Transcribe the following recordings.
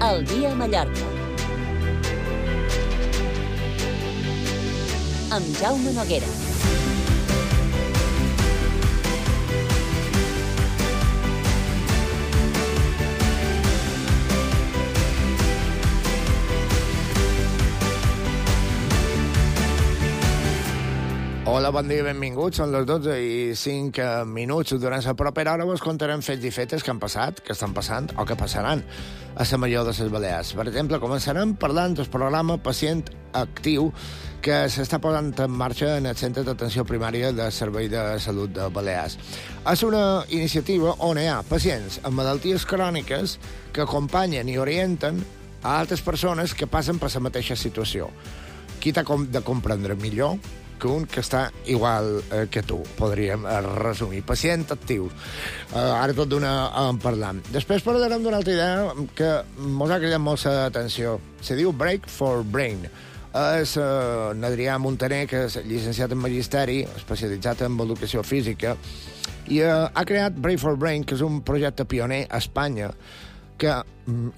El dia a Mallorca. Amb Jaume Noguera. Hola, bon dia, benvinguts. Són les 12 i 5 minuts. Durant la propera hora vos contarem fets i fetes que han passat, que estan passant o que passaran a la major de les Balears. Per exemple, començarem parlant del programa Pacient Actiu que s'està posant en marxa en el Centre d'Atenció Primària del Servei de Salut de Balears. És una iniciativa on hi ha pacients amb malalties cròniques que acompanyen i orienten a altres persones que passen per la mateixa situació. Qui t'ha de comprendre millor que un que està igual que tu, podríem resumir. Pacient actiu. Ara tot d'una en parlam. Després parlarem d'una altra idea que mos ha cridat molt l'atenció. Se diu Break for Brain. És Adrià Montaner, que és llicenciat en Magisteri, especialitzat en educació física, i ha creat Break for Brain, que és un projecte pioner a Espanya, que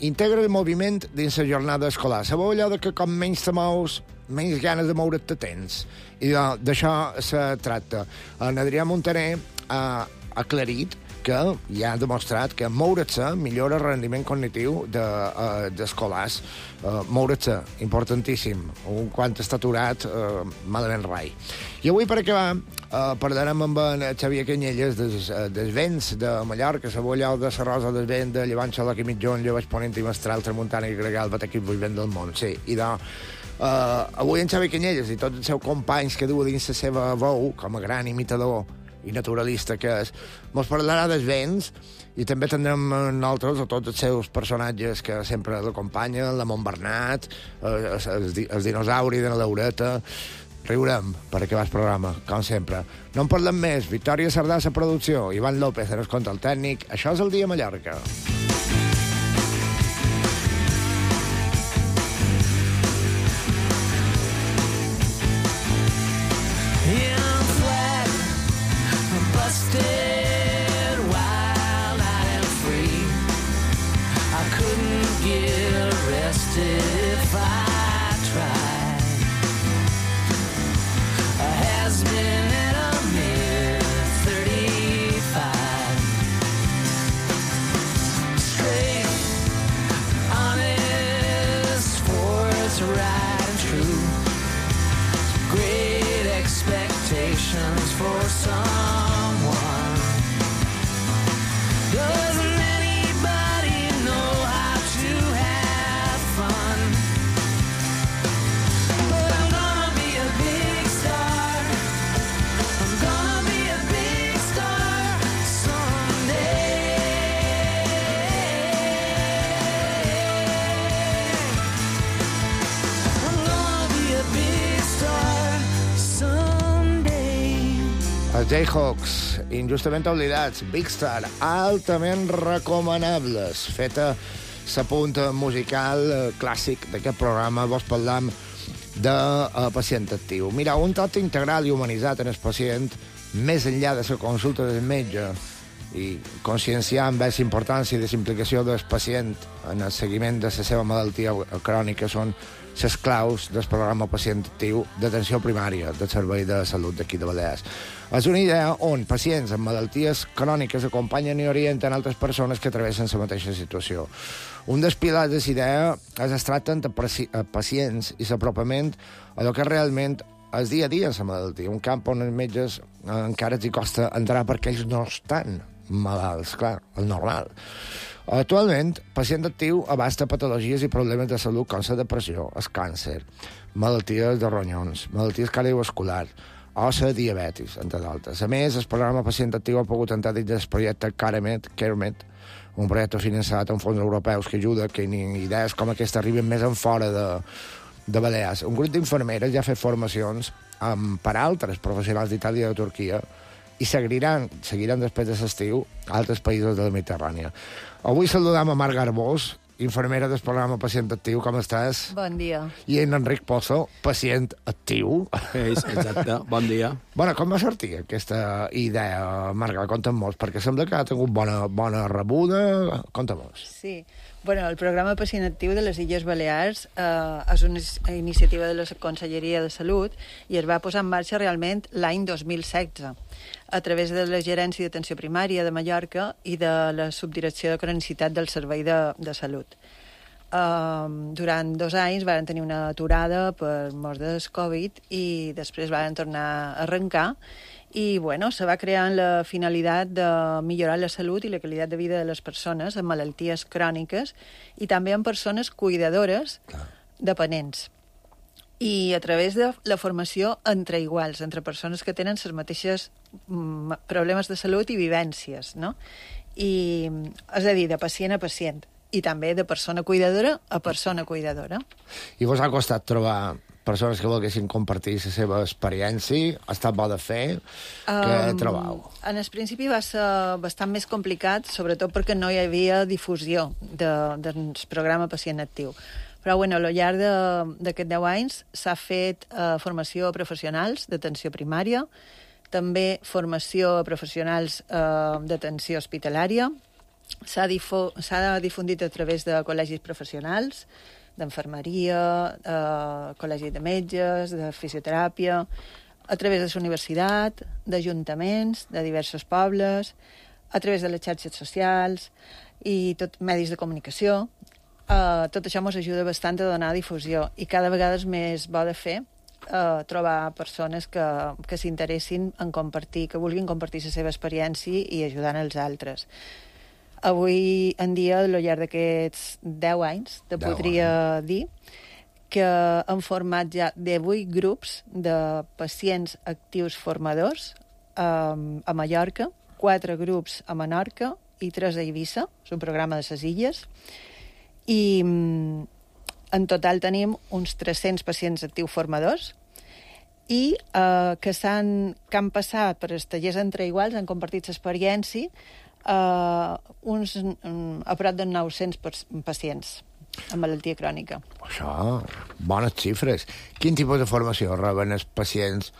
integra el moviment dins la jornada escolar. Sabeu allò que com menys te mous, menys ganes de moure't te tens. I d'això se tracta. En Adrià Montaner ha aclarit que ja ha demostrat que moure't-se millora el rendiment cognitiu d'escolars. Moure't-se, importantíssim. Quan està aturat, malament rai. I avui, per acabar, parlarem amb en Xavier Canyelles dels vents de Mallorca, sabeu allò de la rosa del vent, de llevant xaloc i mitjon, llevaix ponent i mestral, tramuntana i gregal, bat equip vull vent del món. Sí, i avui en Xavier Canyelles i tots els seus companys que du dins la seva veu, com a gran imitador i naturalista que és, mos parlarà dels vents i també tindrem nosaltres a tots els seus personatges que sempre l'acompanyen, la Montbernat, el dinosauri de la Laureta. Riurem per acabar el programa, com sempre. No en parlem més. Victòria Sardà, la producció. Ivan López, en el control tècnic. Això és el dia a Mallorca. For someone, doesn't anybody know how to have fun? But I'm gonna be a big star. I'm gonna be a big star someday. I'm gonna be a big star someday. Els Jayhawks, injustament oblidats, Big Star, altament recomanables. Feta la punta musical clàssic d'aquest programa, vos parlam de pacient actiu. Mira, un tot integral i humanitzat en el pacient, més enllà de la consulta del metge, i conscienciar amb la importància i la implicació del pacient en el seguiment de la seva malaltia crònica són les claus del programa Pacient Actiu d'atenció primària del Servei de Salut d'aquí de Balears. És una idea on pacients amb malalties cròniques acompanyen i orienten altres persones que travessen la mateixa situació. Un dels pilars de la idea és es tracten de pacients i l'apropament a el que realment és dia a dia en la malaltia, un camp on els metges encara els costa entrar perquè ells no estan malalts, clar, el normal. Actualment, Pacient Actiu abasta patologies i problemes de salut com la depressió, el càncer, malalties de ronyons, malalties cardiovasculars o la diabetis, entre d'altres. A més, el programa Pacient Actiu ha pogut entrar dins del projecte CareMed, un projecte finançat amb fons europeus que ajuda que idees com aquesta arriben més en fora de Balears. Un grup d'infermeres ja ha fet formacions per altres professionals d'Itàlia i de Turquia i seguiran després de l'estiu a altres països de la Mediterrània. Avui saludam a Marc Garbós, infermera del programa Pacient Actiu. Com estàs? Bon dia. I en Enric Pozo, pacient actiu. Exacte, bon dia. Bueno, com va sortir aquesta idea, Marc? Conta'm-nos, perquè sembla que ha tingut bona rebuda. Conta'm-nos. Sí, Bueno, el programa Pacient Actiu de les Illes Balears és una iniciativa de la Conselleria de Salut i es va posar en marxa realment l'any 2016 a través de la Gerència d'Atenció Primària de Mallorca i de la Subdirecció de Cronicitat del Servei de Salut. Durant 2 anys van tenir una aturada per mort del Covid i després van tornar a arrencar i bueno, se va crear amb la finalitat de millorar la salut i la qualitat de vida de les persones amb malalties cròniques i també amb persones cuidadores dependents. I a través de la formació entre iguals, entre persones que tenen les mateixes problemes de salut i vivències, no? I, és a dir, de pacient a pacient, i també de persona cuidadora a persona cuidadora. I vos ha costat trobar persones que volguessin compartir la seva experiència? Ha estat bo de fer? Què trobau? En el principi va ser bastant més complicat, sobretot perquè no hi havia difusió del programa Pacient Actiu. Però bueno, al llarg d'aquests 10 anys s'ha fet formació a professionals d'atenció primària, també formació a professionals d'atenció hospitalària, s'ha difundit a través de col·legis professionals, d'enfermeria, col·legi de metges, de fisioteràpia, a través de la universitat, d'ajuntaments, de diversos pobles, a través de les xarxes socials i medis de comunicació. Tot això ens ajuda bastant a donar difusió i cada vegada és més bo de fer trobar persones que s'interessin en compartir, que vulguin compartir la seva experiència i ajudant els altres. Avui en dia, al llarg d'aquests 10 anys, te podria dir que hem format ja 18 grups de pacients actius formadors a Mallorca, 4 grups a Menorca i 3 a Eivissa, és un programa de les Illes, i en total tenim uns 300 pacients actius formadors i que han passat per els tallers entre iguals, han compartit l'experiència a prop de 900 pacients amb malaltia crònica. Això, bones xifres. Quin tipus de formació reben els pacients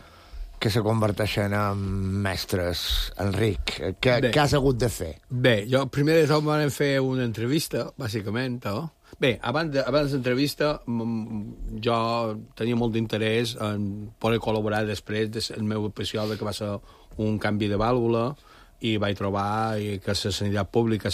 que se converteixen en mestres, Enric? Què has hagut de fer? Bé, jo primer de tot vam fer una entrevista, bàsicament, Bé, abans de l'entrevista jo tenia molt d'interès en poder col·laborar després del meu episodi que va ser un canvi de vàlvula i vaig trobar que la sanitat pública,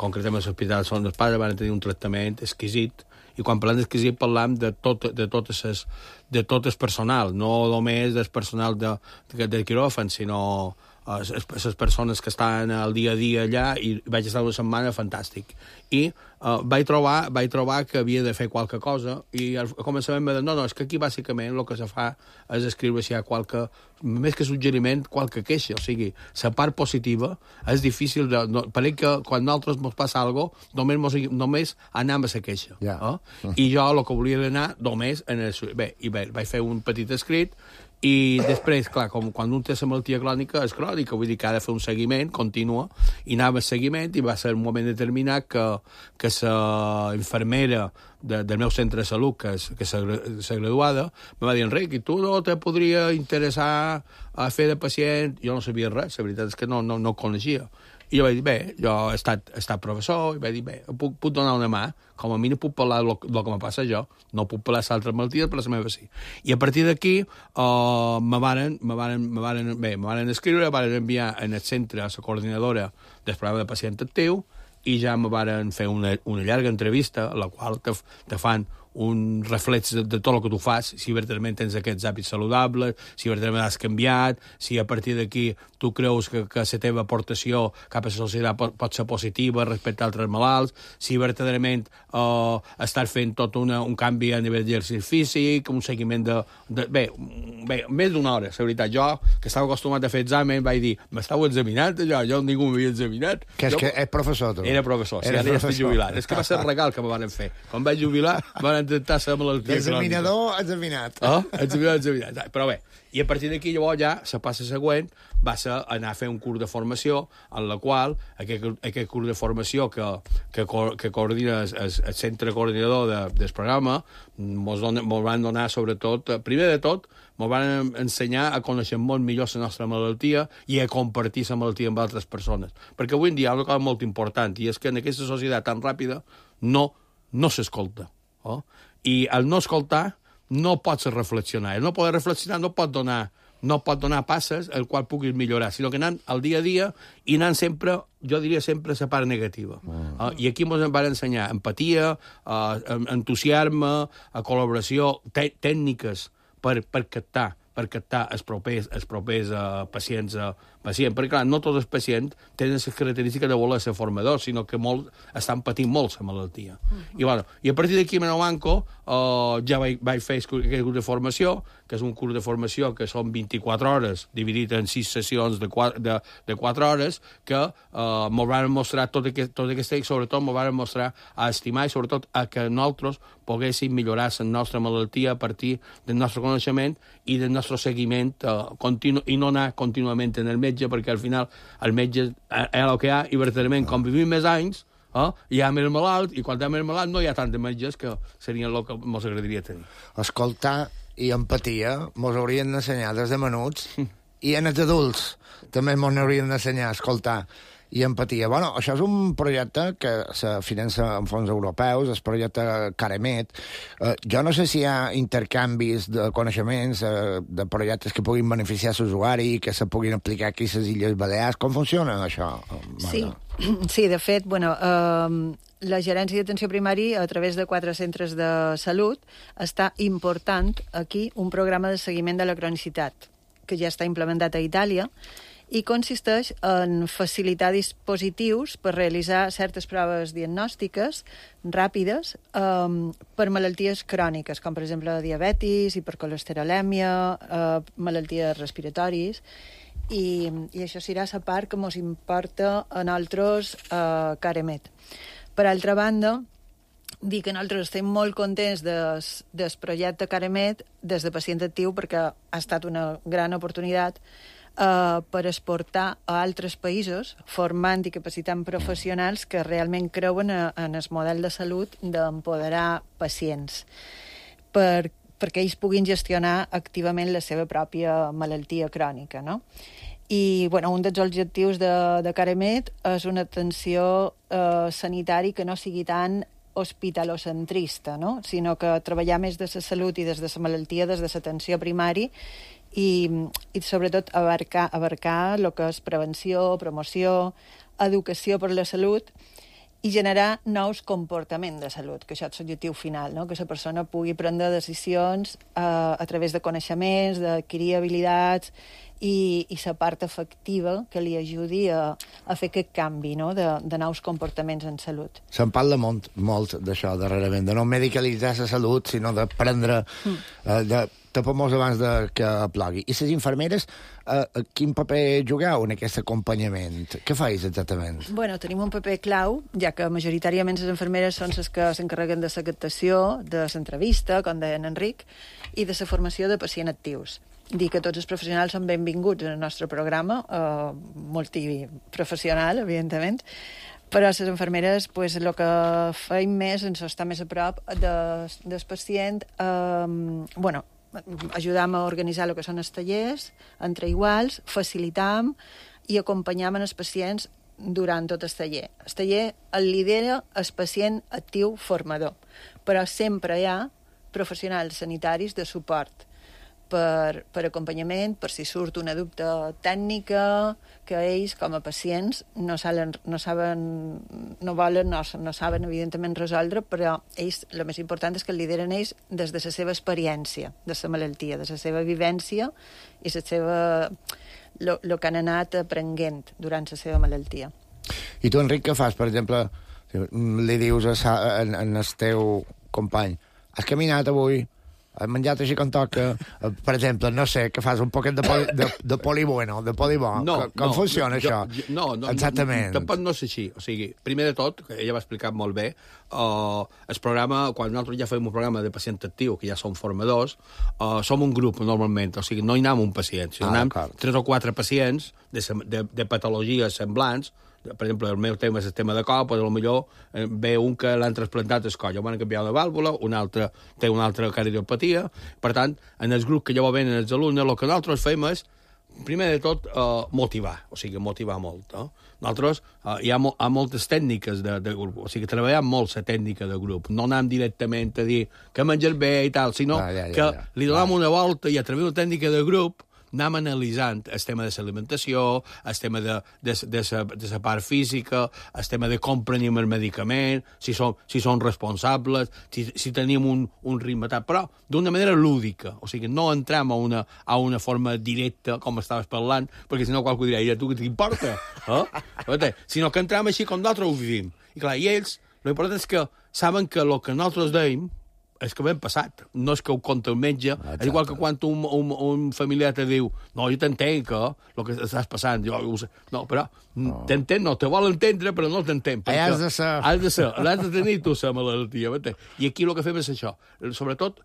concretament l'Hospital Son dels Pares, van tenir un tractament exquisit. I quan parlem d'exquisit parlem de tot el personal, no només del personal del quiròfan, sinó les persones que estan al dia a dia allà, i vaig estar una setmana fantàstic. I vaig trobar que havia de fer qualque cosa, i al començament em va dir, no, és que aquí bàsicament el que se fa és escriure si hi ha més que suggeriment, qualque queixa. O sigui, la part positiva és difícil pareix que quan nosaltres ens passa alguna cosa, només anem a la queixa. I jo el que volia anar només en el... Bé, vaig fer un petit escrit, i després, clar, quan un té la malaltia crònica, és crònica, vull dir que ha de fer un seguiment continu, i anava a seguiment, i va ser un moment determinat que la infermera del meu centre de salut, que és graduada, em va dir, Enric, i tu no te podria interessar a fer de pacient? Jo no sabia res, la veritat és que no ho coneixia. I jo vaig dir, bé, jo he estat professor, i vaig dir, bé, puc donar una mà, com a mi no puc parlar del que me passa jo, no puc parlar de l'altra malaltia, però la meva sí. I a partir d'aquí me varen escriure, me varen enviar en el centre a la coordinadora del programa de pacient actiu, i ja me varen fer una llarga entrevista, a la qual te fan un reflex de tot el que tu fas, si verdaderament tens aquests hàbits saludables, si verdaderament has canviat, si a partir d'aquí tu creus que la teva aportació cap a la societat pot ser positiva respecte a altres malalts, si verdaderament estàs fent tot un canvi a nivell d'exercici físic, un seguiment Bé, més d'una hora, la veritat. Jo, que estava acostumat a fer examen, vaig dir, m'estàu examinant allò? Jo ningú m'havia examinat. Que és professor, tu? Era professor, sí, ara ja estic jubilat. És que va ser el regal que me van fer. Quan vaig jubilar, van van detectar la malaltia crònica. L'examinador examinat. Examinat. Però bé, i a partir d'aquí llavors ja la passa següent va ser anar a fer un curs de formació en la qual aquest curs de formació que coordina el centre coordinador del programa mos van donar sobretot, primer de tot, mos van ensenyar a conèixer molt millor la nostra malaltia i a compartir la malaltia amb altres persones. Perquè avui en dia hi ha una cosa molt important i és que en aquesta societat tan ràpida no s'escolta. I al no escoltar no pots reflexionar. El no poder reflexionar no pot donar passes el qual puguis millorar, sinó que anant al dia a dia i anant sempre, jo diria sempre, la part negativa. I aquí ens van ensenyar empatia, entusiasme, col·laboració, tècniques per captar els propers pacients. Perquè, clar, no tots els pacients tenen les característiques de voler ser formadors, sinó que molts estan patint molt la malaltia. I a partir d'aquí, a Menomanco, ja vaig fer aquest curs de formació, que és un curs de formació que són 24 hores, dividit en 6 sessions de 4 hores, que m'ho van mostrar tot aquest i sobretot m'ho van mostrar a estimar i sobretot a que nosaltres poguéssim millorar la nostra malaltia a partir del nostre coneixement i del nostre seguiment continu i no anar contínuament en el metge, perquè al final el metge és el que hi ha i verdaderament com vivim més anys hi ha més malalt i quan hi ha més malalt no hi ha tants metges que serien el que ens agradaria tenir. Escoltar i empatia mos haurien d'ensenyar des de menuts i en els adults també mos haurien d'ensenyar a escoltar i empatia. Bueno, això és un projecte que se finança amb fons europeus, el projecte Caremet. Jo no sé si hi ha intercanvis de coneixements, de projectes que puguin beneficiar l'usuari i que se puguin aplicar aquí a les Illes Balears. Com funciona això, Marga? Sí, de fet, la Gerència d'Atenció Primària, a través de 4 centres de salut, està important aquí un programa de seguiment de la cronicitat, que ja està implementat a Itàlia, i consisteix en facilitar dispositius per realitzar certes proves diagnòstiques ràpides per malalties cròniques, com per exemple diabetis, hipercolesterolèmia, malalties respiratoris, i això serà la part que ens importa a nosaltres Caremet. Per altra banda, dir que nosaltres estem molt contents del projecte Caremet des de pacient actiu perquè ha estat una gran oportunitat per exportar a altres països, formant i capacitant professionals que realment creuen en el model de salut d'empoderar pacients perquè ells puguin gestionar activament la seva pròpia malaltia crònica, no? I un dels objectius de Caremet és una atenció sanitària que no sigui tan hospitalocentrista, no? Sinó que treballar més de la salut i des de la malaltia, des de l'atenció primària i sobretot abarcar el que és prevenció, promoció, educació per la salut i generar nous comportaments de salut, que això és l'objectiu final, no? Que la persona pugui prendre decisions a través de coneixements, d'adquirir habilitats i la part efectiva que li ajudi a fer aquest canvi, no? de nous comportaments en salut. Se'n parla molt d'això darrerament, de no medicalitzar la salut, sinó de prendre... de tapar-nos abans que plogui. I les infermeres, quin paper jugueu en aquest acompanyament? Què fais exactament? Tenim un paper clau, ja que majoritàriament les infermeres són les que s'encarreguen de la captació, de l'entrevista, com deia en Enric, i de la formació de pacients actius. Dir que tots els professionals són benvinguts en el nostre programa, multiprofessional, evidentment, però les infermeres, el que feim més ens està més a prop del pacient, ajudam a organitzar el que són els tallers entre iguals, facilitam i acompanyam els pacients durant tot el taller. El taller el lidera el pacient actiu formador, però sempre hi ha professionals sanitaris de suport per acompanyament, per si surt una dubte tècnica que ells, com a pacients, no saben, evidentment, resoldre, però ells, el més important és que el lideren ells des de la seva experiència de la malaltia, de la seva vivència i el que han anat aprenent durant la seva malaltia. I tu, Enric, què fas? Per exemple, li dius al teu company, has caminat avui Has menjat així com toca, per exemple, no sé, que fas un poquet de polibueno, de polibó. Com funciona això? No, exactament. Tampoc no és així. O sigui, primer de tot, que ella va explicar molt bé, el programa, quan nosaltres ja fem un programa de pacient actiu, que ja som formadors, som un grup, normalment. O sigui, no hi anem un pacient, sinó anem 3 o 4 pacients de patologies semblants. Per exemple, el meu tema és el tema de cor, però potser ve un que l'han trasplantat el coll, van canviar una vàlvula, un altre té una altra cardiopatia. Per tant, en el grup que llavors venen els alumnes, el que nosaltres fem és, primer de tot, motivar, o sigui, motivar molt. Nosaltres, hi ha moltes tècniques de grup, o sigui, treballem molt la tècnica de grup, no anem directament a dir que menjar bé i tal, sinó que li donem una volta i a través de la tècnica de grup anem analitzant el tema de l'alimentació, el tema de la part física, el tema de com prenem el medicament, si són responsables, si tenim un ritme tal, però d'una manera lúdica, o sigui, no entrem a una forma directa, com estaves parlant, perquè si no qualcú dirà, i a tu què t'importa? Sinó que entrem així com nosaltres ho vivim. I clar, i ells, l'important és que saben que el que nosaltres deim és que ben passat, no és que ho conta el metge. És igual que quan un familiar te diu no, jo t'entenc que el que estàs passant, no, però t'entén, no, te vol entendre, però no t'entén. Has de ser. L'has de tenir tu, la malaltia. I aquí el que fem és això, sobretot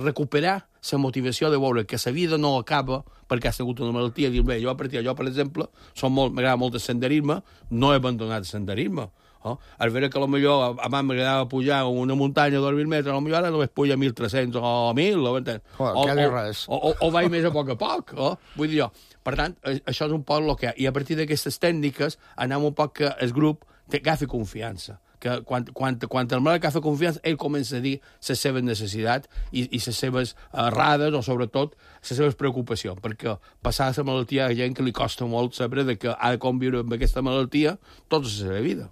recuperar la motivació de veure que la vida no acaba perquè has tingut una malaltia, dir, bé, jo, per exemple, m'agrada molt el senderisme, no he abandonat el senderisme. Al veure que potser abans m'agradava pujar una muntanya de 2.000 metres, potser ara només puja 1.300 o 1.000, o vaig més a poc. Vull dir jo. Per tant, això és un poc el que hi ha. I a partir d'aquestes tècniques anem un poc que el grup agafi confiança. Que quan el malalt agafa confiança, ell comença a dir les seves necessitats i les seves errades o, sobretot, les seves preocupacions. Perquè passar la malaltia hi ha gent que li costa molt saber que ha de conviure amb aquesta malaltia tota la seva vida.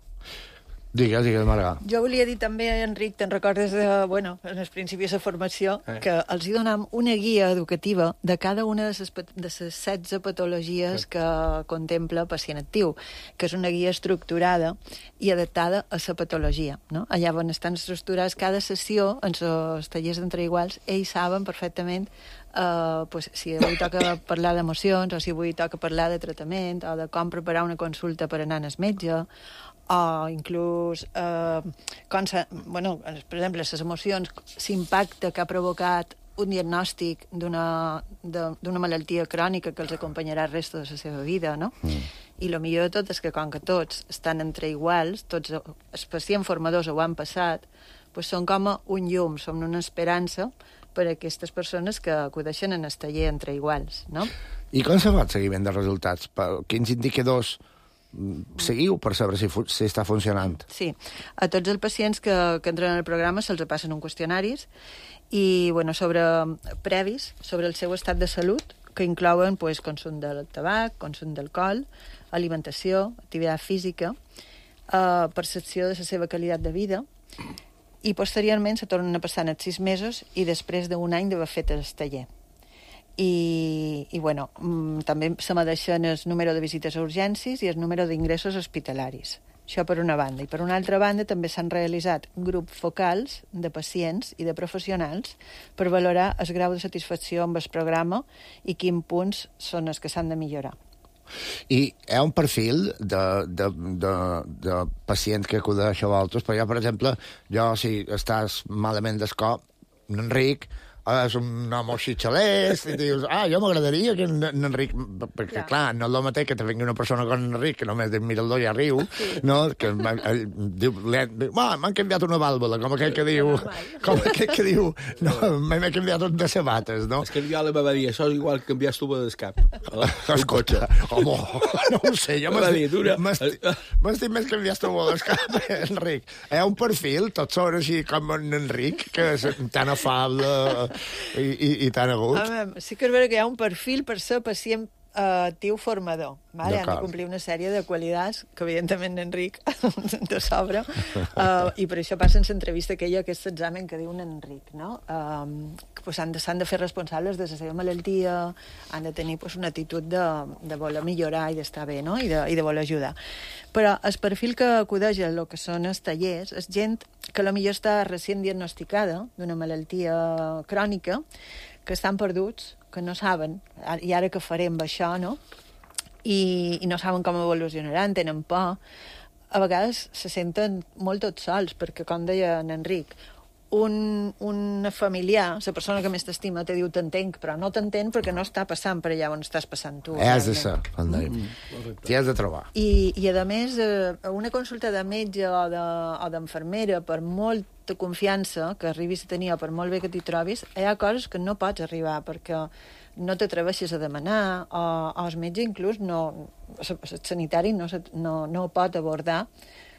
Digues, Marga. Jo volia dir també, Enric, te'n recordes en els principis de formació, que els hi donam una guia educativa de cada una de les 16 patologies que contempla pacient actiu, que és una guia estructurada i adaptada a la patologia. No? Allà on estan estructurades cada sessió, en els tallers d'entre iguals, ells saben perfectament si avui toca parlar d'emocions, o si avui toca parlar de tractament, o de com preparar una consulta per anar al metge, o inclús per exemple, les emocions, l'impacte que ha provocat un diagnòstic d'una malaltia crònica que els acompanyarà el resto de la seva vida, no? I el millor de tot és que com que tots estan entre iguals, tots els pacients formadors ho han passat, doncs són com un llum, són una esperança per a aquestes persones que acudeixen en el taller entre iguals, no? I com se fa el seguiment de resultats? Quins indicadors seguiu per saber si està funcionant? Sí, a tots els pacients que entren al programa se'ls passen un qüestionaris i previs sobre el seu estat de salut, que inclouen consum del tabac, consum d'alcohol, alimentació, activitat física, percepció de la seva qualitat de vida, i posteriorment se tornen a passar en els 6 mesos i després d'un any d'haver fet el taller. I també se medeixen el número de visites a urgències i el número d'ingressos hospitalaris. Això per una banda. I per una altra banda també s'han realitzat grups focals de pacients i de professionals per valorar el grau de satisfacció amb el programa i quins punts són els que s'han de millorar. I hi ha un perfil de pacient que acudeix a vosaltres, perquè per exemple, si estàs malament del cor, Enric és un home així xalès, i dius, jo m'agradaria que en Enric... Perquè, clar, no és el mateix que te vingui una persona com Enric, que només mira el do i riu, no? Que diu, m'han canviat una vàlvula, com aquell que diu, no, m'he canviat un de sabates, no? És que jo li va dir, això és igual que canviar estuva d'escap. Escolta, home, no ho sé, jo m'estic més canviar estuva d'escap, Enric. Hi ha un perfil, tots són així com en Enric, que és tan afable i tan agut. Sí que és vera que hi ha un perfil per ser pacient actiu formador. Vale? Han de complir una sèrie de qualitats que, evidentment, Enric te sobra. I per això passen l'entrevista aquella, aquest examen que diu en Enric, no? Pues s'han de fer responsables de la seva malaltia, han de tenir pues, una actitud de voler millorar i d'estar bé, no? I de voler ajudar. Però el perfil que acudeix a el que són els tallers és gent que potser està recient diagnosticada d'una malaltia crònica, que estan perduts, que no saben, i ara què farem amb això, no? I no saben com evolucionaran, tenen por. A vegades se senten molt tots sols, perquè, com deia en Enric, un familiar, la persona que més t'estima, te diu t'entenc, però no t'entén perquè no està passant per allà on estàs passant tu. Has de ser, t'hi has de trobar. I a més, una consulta de metge o d'enfermera, per molta confiança que arribis a tenir, o per molt bé que t'hi trobis, hi ha coses que no pots arribar, perquè no t'atreveixes a demanar, o el metge inclús el sanitari no ho pot abordar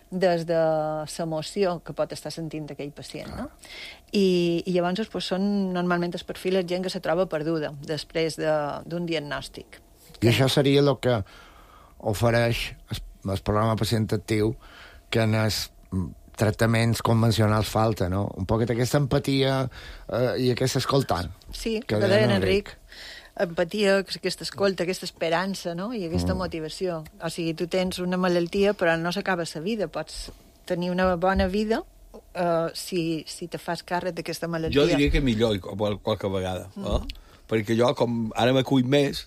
des de l'emoció que pot estar sentint aquell pacient, no? I llavors pues, són normalment el perfil de gent que se troba perduda després d'un diagnòstic. I això seria el que ofereix el programa Pacient Actiu, que en els tractaments convencionals falta, no? Un poquet aquesta empatia i aquest escoltant. Sí, que deia Enric. Empatia, aquesta escolta, aquesta esperança, no? I aquesta motivació. O sigui, tu tens una malaltia, però no s'acaba la vida. Pots tenir una bona vida si te fas càrrec d'aquesta malaltia. Jo diria que millor qualque vegada, perquè jo, com ara m'acull més,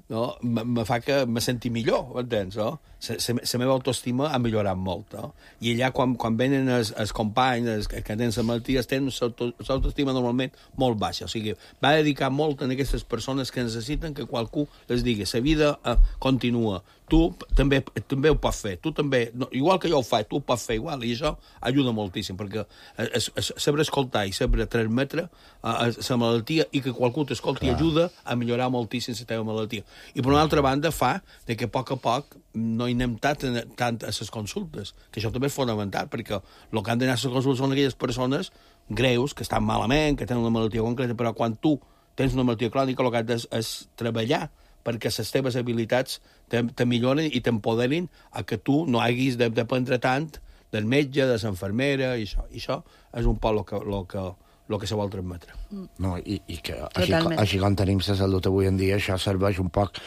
me fa que me senti millor, entens? La meva autoestima ha millorat molt. I allà, quan venen els companys que tenen la malaltia, tenen l'autoestima normalment molt baixa. O sigui, va dedicar molt a aquestes persones que necessiten que qualcú les digui la vida continua, tu també ho pots fer, tu també, igual que jo ho faig, tu ho pots fer igual, i això ajuda moltíssim, perquè saber escoltar i saber transmetre la malaltia i que qualcú t'escolti ajuda a millorar moltíssim la teva malaltia. I per una altra banda fa que a poc no hi anem tant a les consultes, que això també és fonamental, perquè el que han d'anar a les consultes són aquelles persones greus, que estan malament, que tenen una malaltia concreta, però quan tu tens una malaltia crònica el que has de és treballar perquè les teves habilitats te milloren i t'empoderin a que tu no haguis de dependre tant del metge, de l'enfermera, i això. I això és un poc el que se vol transmetre. No, i que així com tenim la salut avui en dia, això serveix un poc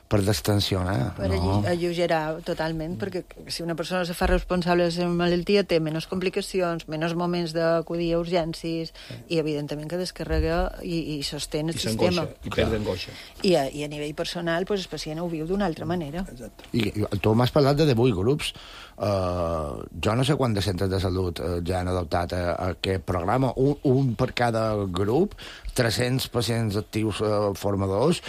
per destensionar. Per alleugerar totalment, perquè si una persona se fa responsable de la seva malaltia té menys complicacions, menys moments d'acudir a urgències, i evidentment que descarrega i sostén el sistema. I perd angoixa. I a nivell personal, pues, el pacient ho viu d'una altra manera. Exacte. I tu m'has parlat de 18 grups. Jo no sé quants de centres de salut ja han adoptat aquest programa, un per cada grup, 300 pacients actius formadors.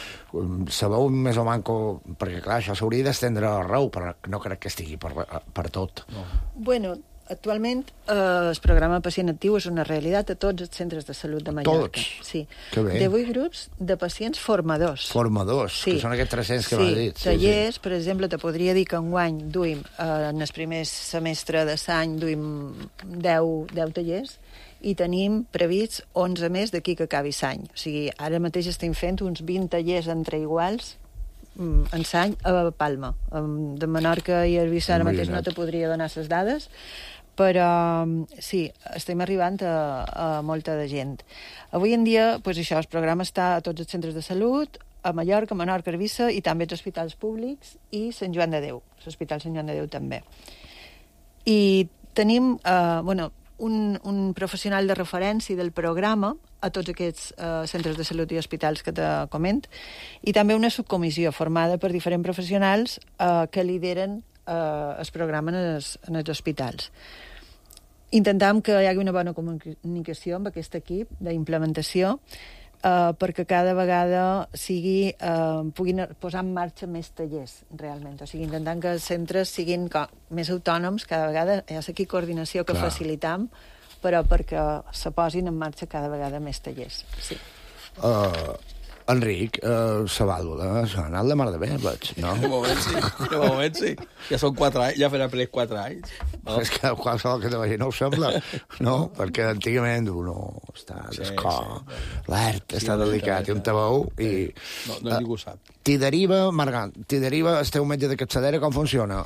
Sabeu més o manco, perquè clar, això s'hauria d'estendre arreu, però no crec que estigui per tot. No. Bueno, actualment el programa Pacient Actiu és una realitat a tots els centres de salut de Mallorca. Tots? Sí. Que bé. 18 grups de pacients formadors. Formadors, sí. Que són aquests 300 que m'ha dit. Tallers, per exemple, te podria dir que enguany duim, en el primer semestre de l'any, duim 10 tallers, i tenim prevists 11 més d'aquí que acabi l'any. O sigui, ara mateix estem fent uns 20 tallers entre iguals en l'any a Palma. De Menorca i Eivissa ara mateix no te podria donar les dades, però sí, estem arribant a molta de gent. Avui en dia, doncs això, el programa està a tots els centres de salut, a Mallorca, Menorca, Eivissa, i també als hospitals públics i Sant Joan de Déu, l'Hospital Sant Joan de Déu també. I tenim, un professional de referència del programa a tots aquests centres de salut i hospitals que te coment, i també una subcomissió formada per diferents professionals que lideren el programa en els hospitals. Intentem que hi hagi una bona comunicació amb aquest equip d'implementació perquè cada vegada puguin posar en marxa més tallers, realment. O sigui, intentant que els centres siguin més autònoms, cada vegada hi ha aquí coordinació que facilitam, però perquè se posin en marxa cada vegada més tallers. Sí. Enric, la vàlvula s'ha anat la mar de bé, veig, no? De moment sí. Ja són 4 anys, ja farà per 4 anys. No? És que qualsevol que te vegi no ho sembla, no? Perquè antigament uno està d'escor, l'art està delicat, i un te veu i... No ningú sap. T'hi deriva, Margant, el teu metge de capçalera, com funciona?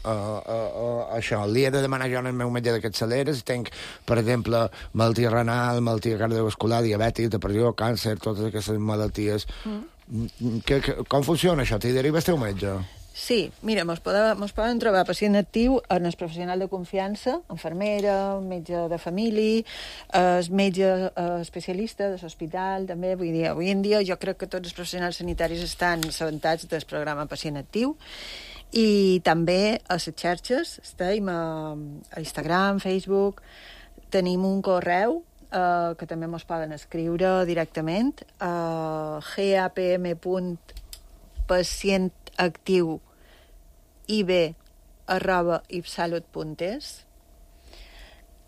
Això, li he de demanar jo al meu metge de capçalera si tenc, per exemple, malaltia renal, malaltia cardiovascular, diabetis, depressió, càncer, totes aquestes malalties. Com funciona això? T'hi deriva el teu metge? Sí, mira, mos poden trobar pacient actiu en el professional de confiança, infermera, metge de família, el metge especialista de l'hospital, també. Vull dir, avui en dia jo crec que tots els professionals sanitaris estan assabentats del programa Pacient Actiu, i també a les xarxes, estem a Instagram, Facebook, tenim un correu que també ens poden escriure directament, gapm.pacientactiu.ib@ipsalut.es,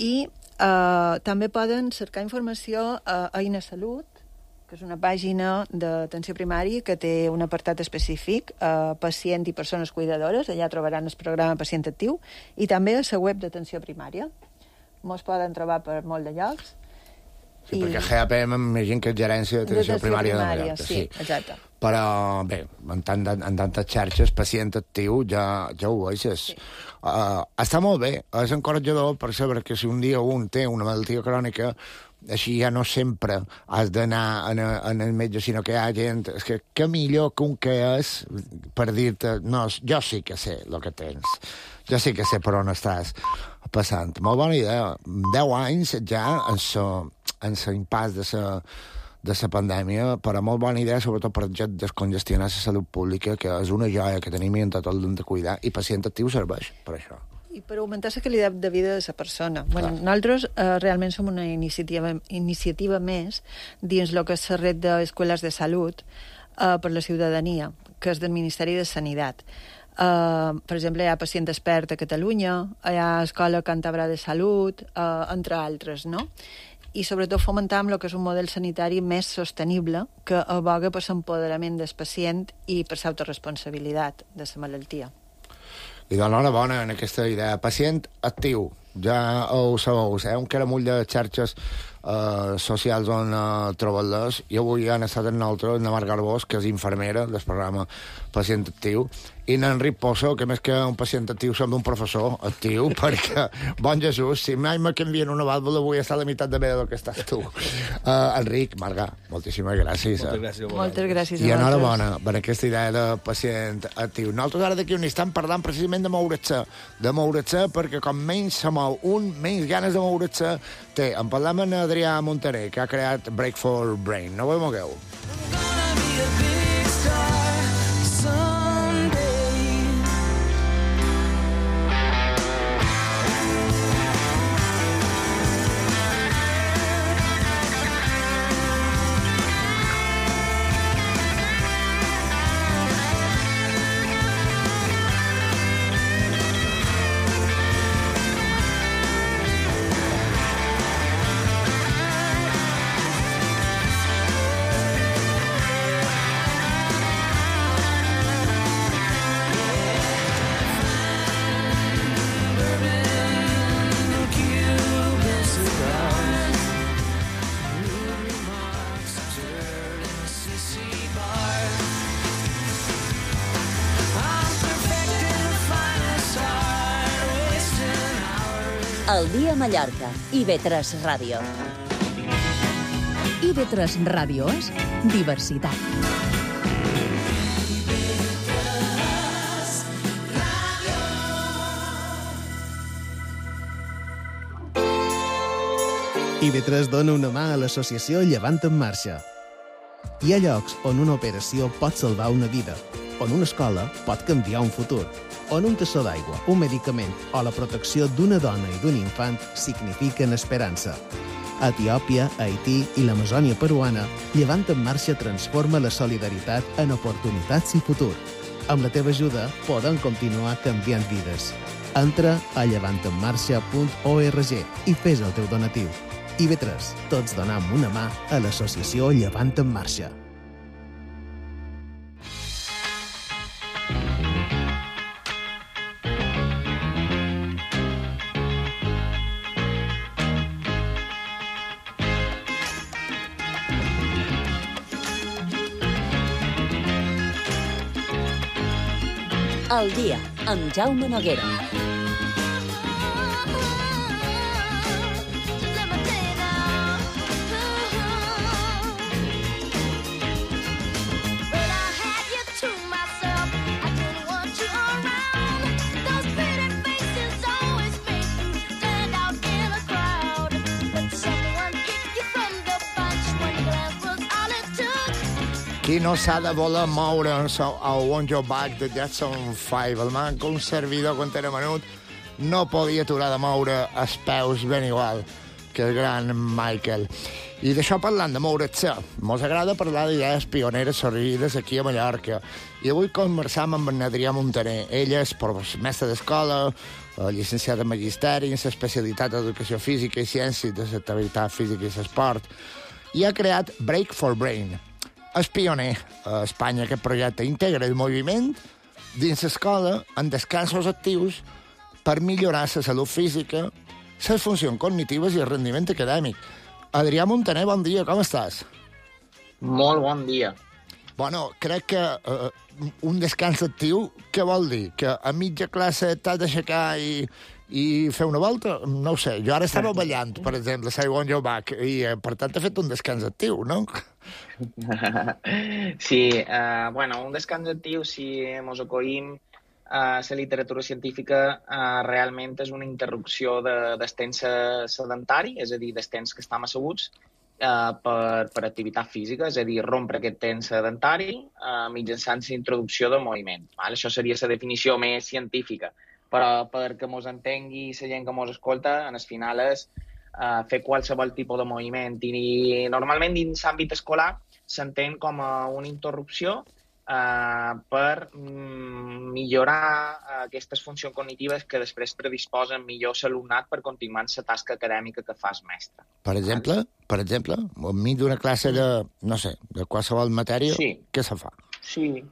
i també poden cercar informació a Eina Salut, que és una pàgina d'atenció primària que té un apartat específic, pacient i persones cuidadores. Allà trobaran el programa Pacient Actiu, i també a la web d'atenció primària. Ens poden trobar per molt de llocs. Sí, perquè GAPM m'imagino que és gerència d'atenció primària de Mallorca. Sí, exacte. Però, bé, en tantes xarxes, Pacient Actiu, ja ho veixes. Sí. Està molt bé, és encoratjador per saber que si un dia un té una malaltia crònica, així ja no sempre has d'anar en el metge, sinó que hi ha gent... És que millor que un que és per dir-te, no, jo sí que sé el que tens. Jo sí que sé per on estàs passant. Molt bona idea. 10 anys ja en l'impàs de la pandèmia, però molt bona idea, sobretot per descongestionar la salut pública, que és una joia que tenim i en tot l'hem de cuidar, i Pacient Actiu serveix per això. I per augmentar la qualitat de vida de la persona. Bueno, nosaltres realment som una iniciativa més dins el que és la red d'escoles de salut per la ciutadania, que és del Ministeri de Sanitat. Per exemple, hi ha Pacient Expert a Catalunya, hi ha Escola Càntabra de Salut, entre altres, no? I sobretot fomentar el que és un model sanitari més sostenible, que aboga per l'empoderament del pacient i per l'autoresponsabilitat de la malaltia. I d'enhorabona en aquesta idea. Pacient Actiu, ja ho sabeu, un caramull de xarxes socials on trobar-les. I avui han estat amb nosaltres la Mar Garbós, que és infermera del programa Pacient Actiu, i n'Enric Pozo, que més que un pacient actiu sembla un professor actiu, perquè, bon Jesús, si mai me canvien una vàlvula vull estar a la meitat de bé del que estàs tu. Enric, Marga, moltíssimes gràcies. Moltes gràcies a I enhorabona per aquesta idea de pacient actiu. Nosaltres ara d'aquí un instant parlant precisament de moure's, perquè com menys se mou un, menys ganes de moure's té. En parlem amb Adrià Montaner, que ha creat Break for Brain. No ho mogueu. El dia a Mallorca, IB3 Ràdio. IB3 Ràdio és diversitat. IB3 dona una mà a l'associació Llevant en Marxa. Hi ha llocs on una operació pot salvar una vida, on una escola pot canviar un futur, on un tassó d'aigua, un medicament o la protecció d'una dona i d'un infant signifiquen esperança. A Etiòpia, Haití i l'Amazònia peruana, Llevant en Marxa transforma la solidaritat en oportunitats i futur. Amb la teva ajuda podem continuar canviant vides. Entra a llevantenmarxa.org i fes el teu donatiu. IB3, tots donem una mà a l'associació Llevant en Marxa. Al dia, amb Jaume Noguera. Qui no s'ha de voler moure a Want Your Back de Jackson 5, el man que un servidor quan era menut no podia aturar de moure els peus ben igual que el gran Michael. I d'això parlant de moure't-se, mos agrada parlar d'idees pioneres sorgides aquí a Mallorca. I avui conversam amb en Adrià Montaner. Ell és mestre d'escola, llicenciat en magisteri, en l'especialitat d'educació física i ciències de l'activitat física i l'esport, i ha creat Break for Brain. És pioner a Espanya. Aquest projecte integra el moviment dins l'escola en descansos actius per millorar la salut física, les funcions cognitives i el rendiment acadèmic. Adrià Montaner, bon dia, com estàs? Molt bon dia. Bueno, crec que un descans actiu, què vol dir? Que a mitja classe t'has d'aixecar i fer una volta? No ho sé. Jo ara estava ballant, per exemple, a Want Your Back, i per tant he fet un descans actiu, no? Sí, bueno, un descans actiu, si mos acollim a la literatura científica, realment és una interrupció del temps sedentari, és a dir, del temps que estem asseguts, per activitat física, és a dir, rompre aquest temps sedentari mitjançant la introducció de moviment. Això seria la definició més científica, però perquè mos entengui la gent que mos escolta, en el final és fer qualsevol tipus de moviment. I normalment dins l'àmbit escolar s'entén com una interrupció per millorar aquestes funcions cognitives que després predisposen millor l'alumnat per continuar en la tasca acadèmica que fa el mestre. Per exemple, enmig d'una classe de, no sé, de qualsevol matèria, sí. Què se fa? Sí.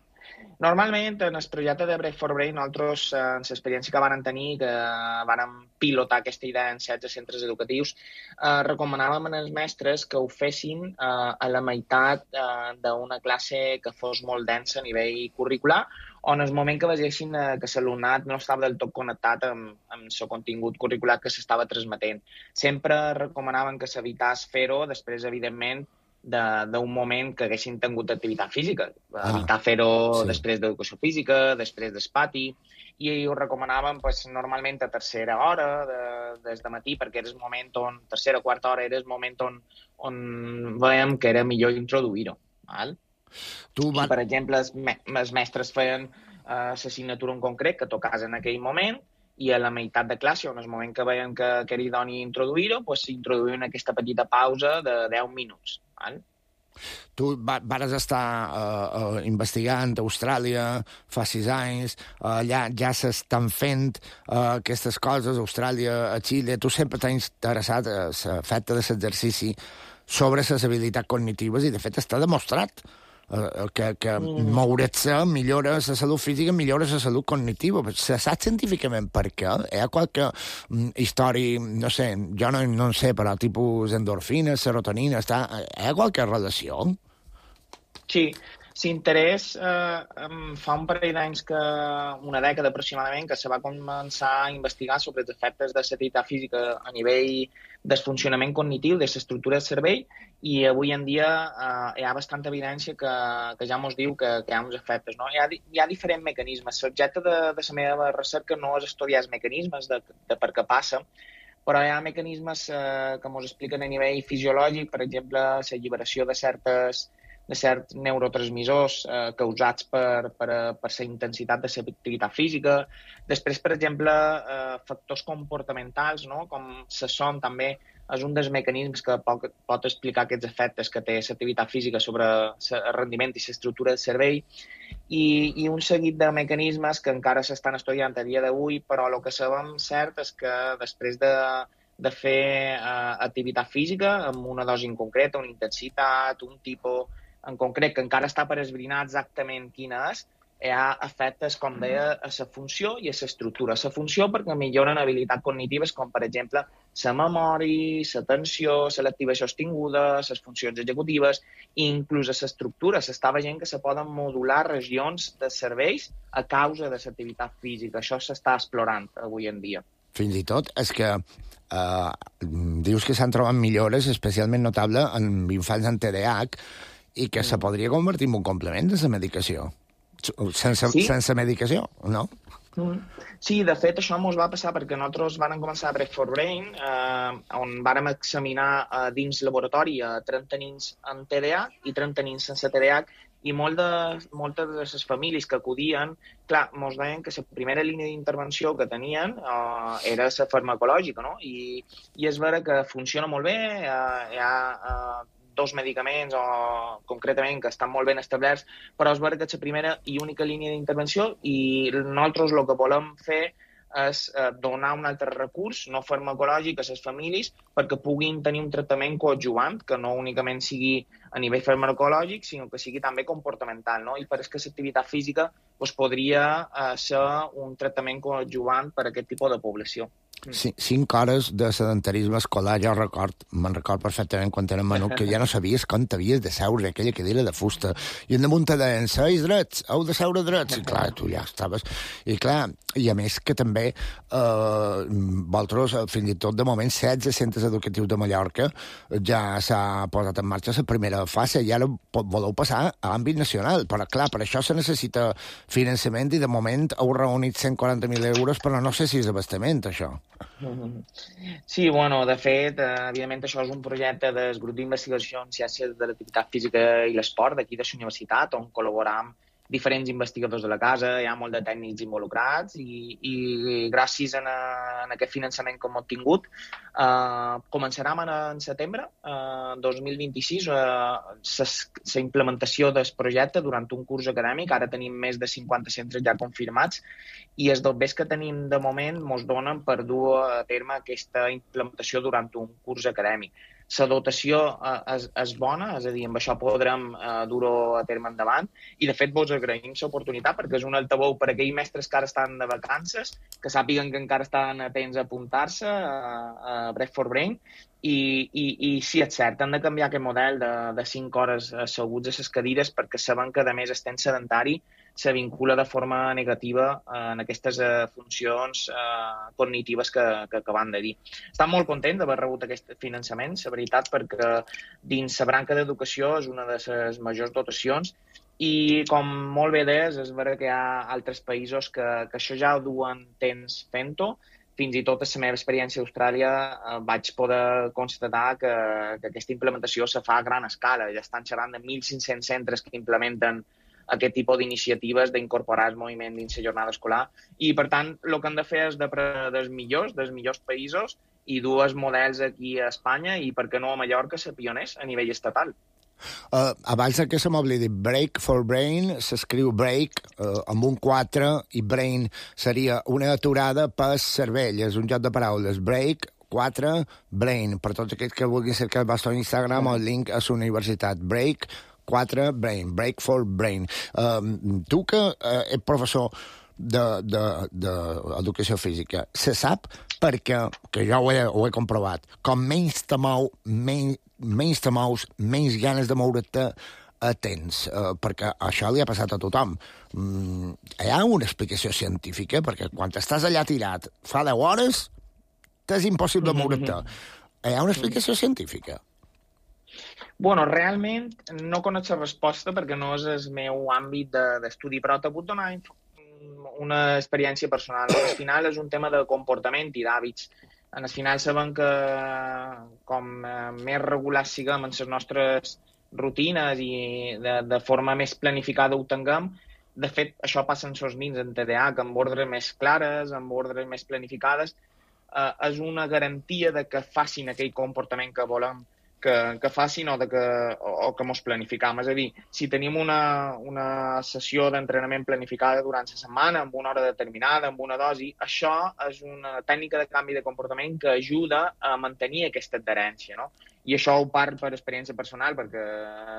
Normalment, en el projecte de Break for Brain, nosaltres, en l'experiència que vam tenir, que vam pilotar aquesta idea en 16 centres educatius, recomanàvem als mestres que ho fessin a la meitat d'una classe que fos molt densa a nivell curricular, o en el moment que vegessin que l'alumnat no estava del tot connectat amb el contingut curricular que s'estava transmetent. Sempre recomanaven que s'evitàs fer-ho després, evidentment, d'un moment que haguessin tingut activitat física. Evitar fer-ho després d'educació física, després del pati, i ho recomanaven normalment a tercera hora des de matí, perquè era el moment on, tercera o quarta hora, era el moment on veiem que era millor introduir-ho. I, per exemple, els mestres feien l'assignatura en concret que tocàs en aquell moment, i a la meitat de classe, on el moment que veiem que era idoni introduir-ho, s'introduïen aquesta petita pausa de 10 minuts. Tu vares estar investigant a Austràlia fa 6 anys, allà ja s'estan fent aquestes coses, a Austràlia, a Xile. Tu sempre t'has interessat a l'efecte de l'exercici sobre les habilitats cognitives i, de fet, està demostrat que moure't-se millora la salut física, millora la salut cognitiva. Se sap científicament per què? Hi ha qualque història, no sé, jo no en sé, però tipus endorfina, serotonina, hi ha qualque relació? Sí, l'interès fa un parell d'anys, una dècada aproximadament, que se va començar a investigar sobre els efectes de l'activitat física a nivell del funcionament cognitiu, de l'estructura del cervell, i avui en dia hi ha bastanta evidència que ja ens diu que hi ha uns efectes. No? Hi ha diferents mecanismes. L'objecte de la meva recerca no és estudiar els mecanismes de per què passa, però hi ha mecanismes que ens expliquen a nivell fisiològic, per exemple, l'alliberació de certs neurotransmissors causats per la intensitat de l'activitat física. Després, per exemple, factors comportamentals, no? Com el son també és un dels mecanismes que pot explicar aquests efectes que té l'activitat física sobre el rendiment i l'estructura del cervell, i un seguit de mecanismes que encara s'estan estudiant a dia d'avui, però el que sabem cert és que després de fer activitat física amb una dosi en concreta, una intensitat, un tipus en concret, que encara està per esbrinar exactament quina és, hi ha efectes, com deia, a la funció i a l'estructura. La funció perquè milloren habilitats cognitives com, per exemple, la memòria, l'atenció, la l'activació sostinguda, les funcions executives, i inclús a l'estructura. S'està veient que se poden modular regions de serveis a causa de l'activitat física. Això s'està explorant avui en dia. Fins i tot és que dius que s'han trobat millores especialment notables en infants amb TDAH i que se podria convertir en un complement de la medicació. Sense medicació, no? Sí, de fet, això ens va passar perquè nosaltres vam començar a Break for Brain, on vàrem examinar dins laboratori a 30 nens amb TDAH i 30 nens sense TDAH, i moltes de les famílies que acudien, clar, ens deien que la primera línia d'intervenció que tenien era la farmacològica, no? I és vera que funciona molt bé, hi ha dos medicaments, concretament, que estan molt ben establerts, però és vera que és la primera i única línia d'intervenció, i nosaltres el que volem fer és donar un altre recurs no farmacològic a les famílies perquè puguin tenir un tractament coadjuvant, que no únicament sigui a nivell farmacològic, sinó que sigui també comportamental, no? I pareix que l'activitat física podria ser un tractament coadjuvant per a aquest tipus de població. 5 hores de sedentarisme escolar, jo me'n record perfectament quan era menut, que ja no sabies com t'havies de seure, aquella cadira de fusta, i en damunt te deien, seis drets, heu de seure drets, i clar, tu ja estaves... I clar, i a més que també vosaltres, fins i tot de moment, 16 centres educatius de Mallorca ja s'ha posat en marxa la primera fase, i ara voleu passar a àmbit nacional, però clar, per això se necessita finançament, i de moment heu reunit 140.000 euros, però no sé si és abastament, això. Sí, bueno, de fet, evidentment això és un projecte del grup d'investigació en ciències de l'activitat física i l'esport d'aquí de la universitat, on col·laboram diferents investigadors de la casa, hi ha molt de tècnics involucrats i gràcies a aquest finançament que hem obtingut començarem en setembre 2026 la implementació del projecte durant un curs acadèmic. Ara tenim més de 50 centres ja confirmats i els dobbers que tenim de moment ens donen per dur a terme aquesta implementació durant un curs acadèmic. La dotació és bona, és a dir, amb això podrem dur-ho a terme endavant, i de fet vos agraïm l'oportunitat perquè és un altaveu per a aquells mestres que ara estan de vacances, que sàpiguen que encara estan atents a apuntar-se a Break for Brain, i sí, és cert, han de canviar aquest model de 5 hores asseguts a les cadires perquè saben que, a més, estem sedentari, se vincula de forma negativa en aquestes funcions cognitives que acabem de dir. Estem molt contents d'haver rebut aquest finançament, la veritat, perquè dins la branca d'educació és una de les majors dotacions i, com molt bé deies, és vera que hi ha altres països que això ja ho duen temps fent-ho. Fins i tot a la meva experiència a Austràlia vaig poder constatar que aquesta implementació se fa a gran escala. Ja estan xerrant de 1.500 centres que implementen aquest tipus d'iniciatives d'incorporar el moviment dins la jornada escolar. I, per tant, el que hem de fer és dels millors països i dur els models aquí a Espanya i, per què no, a Mallorca, ser pioners a nivell estatal. Abans que se m'oblidi, Break for Brain s'escriu Break amb un 4 i Brain seria una aturada per cervell, és un joc de paraules. Break 4 Brain, per tots aquells que vulguin cercar el vostre Instagram o el link a la universitat. Break 4 Brain, Break for Brain. Tu que ets professor d'educació física, se sap perquè, que jo ho he comprovat, com menys te mous, menys ganes de moure't tens, perquè això li ha passat a tothom. Hi ha una explicació científica, perquè quan estàs allà tirat fa 10 hores, t'és impossible moure't. Hi ha una explicació científica? Bueno, realment no conec la resposta perquè no és el meu àmbit d'estudi, però t'he pogut donar una experiència personal. Al final és un tema de comportament i d'hàbits. Al final sabem que com més regulars siguem en les nostres rutines i de forma més planificada ho tinguem, de fet, això passa en els nens en TDAH, amb ordres més clares, amb ordres més planificades, és una garantia de que facin aquell comportament que volem que facin o que mos planificam. És a dir, si tenim una sessió d'entrenament planificada durant la setmana, amb una hora determinada, amb una dosi, això és una tècnica de canvi de comportament que ajuda a mantenir aquesta adherència, no? I això ho parlo per experiència personal, perquè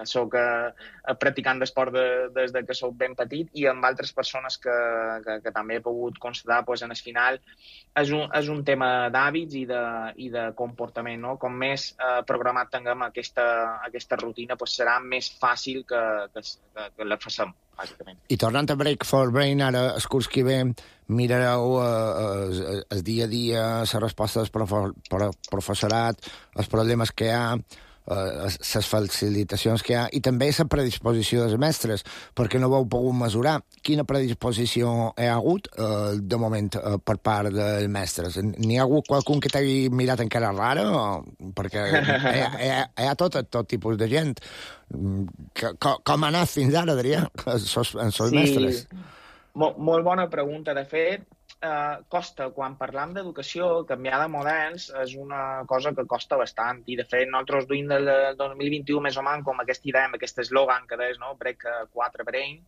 soc practicant d'esport des de que soc ben petit, i amb altres persones que també he pogut constatar, en el final és un tema d'hàbits i de comportament, no? Com més programat tinguem aquesta rutina, serà més fàcil que la facem, bàsicament. I tornant a Break for Brain, ara, el curs que ve, mirareu el dia a dia, les respostes del professorat, els problemes que hi ha, les facilitacions que hi ha, i també la predisposició dels mestres, perquè no heu pogut mesurar quina predisposició hi ha hagut de moment per part dels mestres. N'hi ha hagut qualcun que t'hagi mirat encara rara? Perquè hi ha tot tipus de gent. Com ha anat fins ara, Adrià, els mestres? Molt bona pregunta. De fet, costa, quan parlam d'educació, canviar de models és una cosa que costa bastant. I, de fet, nosaltres duim del 2021 més o menys com aquesta idea, amb aquest eslògan que deies, no? Break 4 Brain.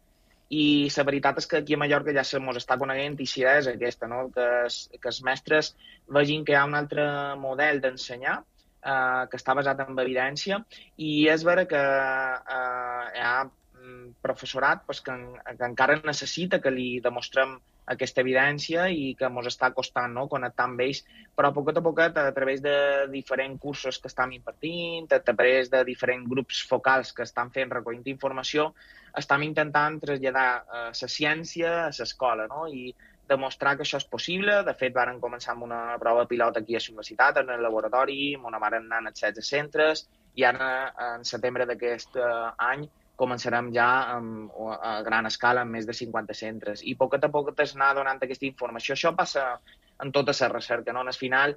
I la veritat és que aquí a Mallorca ja se mos està coneguent i si és aquesta, no? Que els mestres vegin que hi ha un altre model d'ensenyar que està basat en evidència, i és vera que hi ha professorat que encara necessita que li demostrem aquesta evidència i que ens està costant, no?, connectar amb ells, però poquet a poquet, a través de diferents cursos que estem impartint, a través de diferents grups focals que estan fent recollint informació, estem intentant traslladar la ciència a l'escola, no?, i demostrar que això és possible. De fet, varen començar amb una prova pilot aquí a la universitat, en el laboratori, on varen anar als 16 centres, i ara, en setembre d'aquest any, començarem ja a gran escala amb més de 50 centres. I poquet a poquet es anar donant aquesta informació. Això passa en tota la recerca, no? Al final,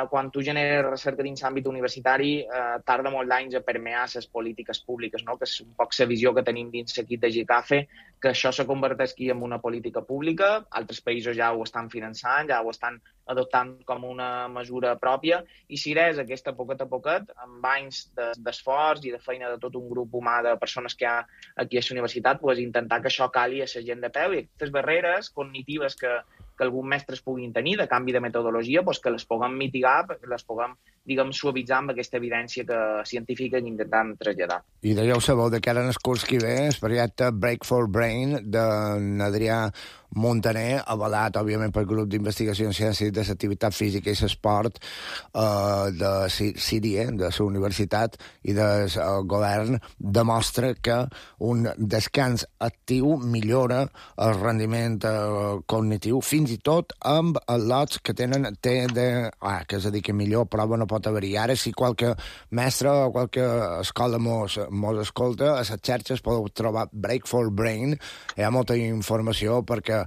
quan tu generes recerca dins l'àmbit universitari, tarda molt d'anys a permear les polítiques públiques, no? Que és un poc la visió que tenim dins l'equip de GICAFE, que això se converteixi en una política pública. Altres països ja ho estan finançant, ja ho estan adoptant com una mesura pròpia, i si és aquesta poquet a poquet, amb anys d'esforç i de feina de tot un grup humà de persones que hi ha aquí a la universitat, intentar que això cali a la gent de peu, i aquestes barreres cognitives que alguns mestres puguin tenir de canvi de metodologia, que les puguem mitigar, les puguem, suavitzar amb aquesta evidència científica que intentem traslladar. I ja ho sabeu, de cara en el curs que ve, el projecte Break for Brain d'Adrià Montaner, avalat, òbviament, pel grup d'investigació en ciències de l'activitat física i l'esport de CIDIE, de la universitat i del govern, demostra que un descans actiu millora el rendiment cognitiu, fins i tot amb els lots que tenen que és a dir, que millor prova no pot haver-hi. Ara, si qualque mestre o qualque escola mos escolta, a les xarxes podeu trobar Break for Brain. Hi ha molta informació perquè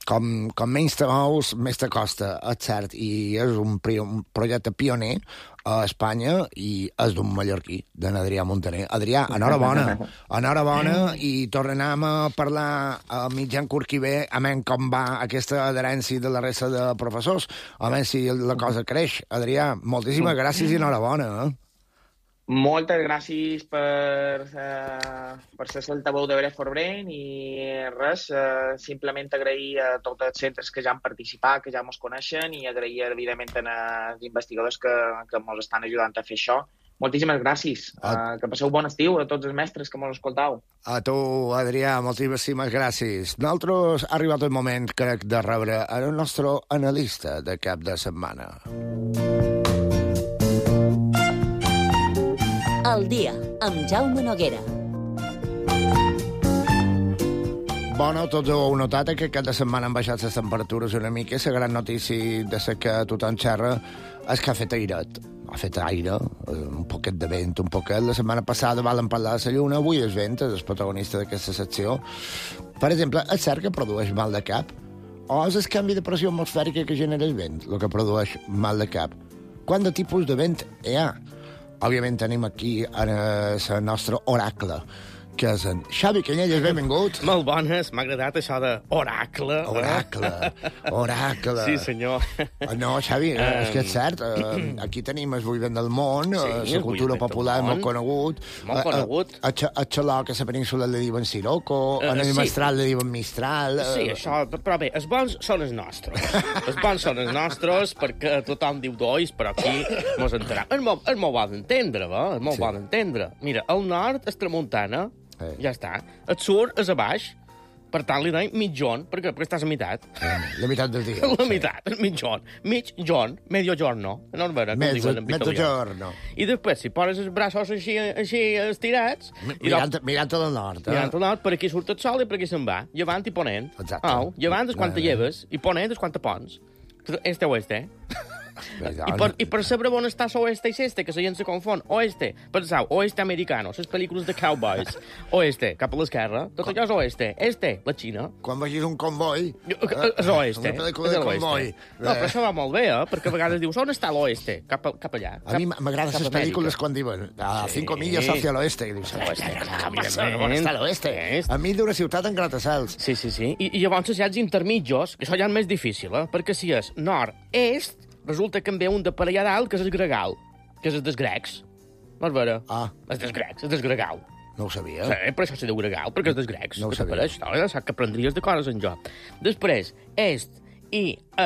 com menys te mous, més te costa, és cert, i és un projecte pioner a Espanya i és d'un mallorquí, d'en Adrià Montaner. Adrià, enhorabona, i tornem a parlar a mitjan curs que ve, a menys com va aquesta adherència de la resta de professors, a menys si la cosa creix. Adrià, moltíssimes gràcies i enhorabona. Moltes gràcies per ser l'altaveu de Break for Brain, i res, simplement agrair a tots els centres que ja han participat, que ja ens coneixen, i agrair, evidentment, als investigadors que ens estan ajudant a fer això. Moltíssimes gràcies. Que passeu bon estiu a tots els mestres que ens escoltau. A tu, Adrià, moltíssimes gràcies. Nosaltres ha arribat el moment, crec, de rebre el nostre analista de cap de setmana. El dia, amb Jaume Noguera. Bueno, tots heu notat que cada setmana han baixat les temperatures una mica. La gran notícia de la que tothom xerra és que ha fet airet. Ha fet aire, un poquet de vent, un poquet. La setmana passada vam parlar de la lluna, avui és vent, és el protagonista d'aquesta secció. Per exemple, és cert que produeix mal de cap? O és el canvi de pressió atmosfèrica que genera el vent el que produeix mal de cap? Quant de tipus de vent hi ha? Òbviament tenim aquí el nostre oracle que és en Xavi Canyelles, benvingut. Molt bones, m'ha agradat això de oracle. Oracle. Sí, senyor. No, Xavi, és que és cert, aquí tenim el buivent del món, la cultura popular molt conegut. Molt conegut. A Xaloc, a la península li diuen Siroco, en el Mestral li diuen Mistral. Sí, això, però bé, els bons són els nostres. Els bons són els nostres, perquè tothom diu dois, però aquí mos entenem. És molt bo d'entendre, va? És molt bo d'entendre. Mira, al nord és tramuntana, ja està. El sud és a baix, per tant li donem mitjon, perquè estàs a meitat. La meitat del dia. La meitat, el mitjon. Mitjon, medio giorno. No és vera, com diuen en Mezzo italià. giorno. I després, si poses els braços així estirats... Mirant al nord. Mirant al nord, per aquí surt el sol i per aquí se'n va. Llevant i ponent. Exacte. Llevant és quan te lleves i ponent és quan te pons. Este oeste. I per saber on està l'oeste i l'este, que la gent se confon. Oeste, penseu, oeste americano, les pel·lícules de cowboys. Oeste, cap a l'esquerra, tot allò és oeste. Este, la Xina. Quan vegis un comboi... És oeste. Una pel·lícula de comboi. No, però això va molt bé, perquè a vegades dius, on està l'oeste? Cap allà. A mi m'agraden les pel·lícules quan diuen a 5 milles hacia l'oeste. I dius, on està l'oeste? A mi d'una ciutat en gratacels. Sí. I llavors hi ha els intermitjos, que això ja és més difícil, perquè si és nord-est, resulta que en ve un de per allà dalt, que és el gregal, que és el dels grecs. No és vera? És dels grecs, és del gregal. No ho sabia. Sí, per això se diu gregal, perquè és dels grecs. No ho sabia. Per això, sap que aprendries de coses en jo. Després, est i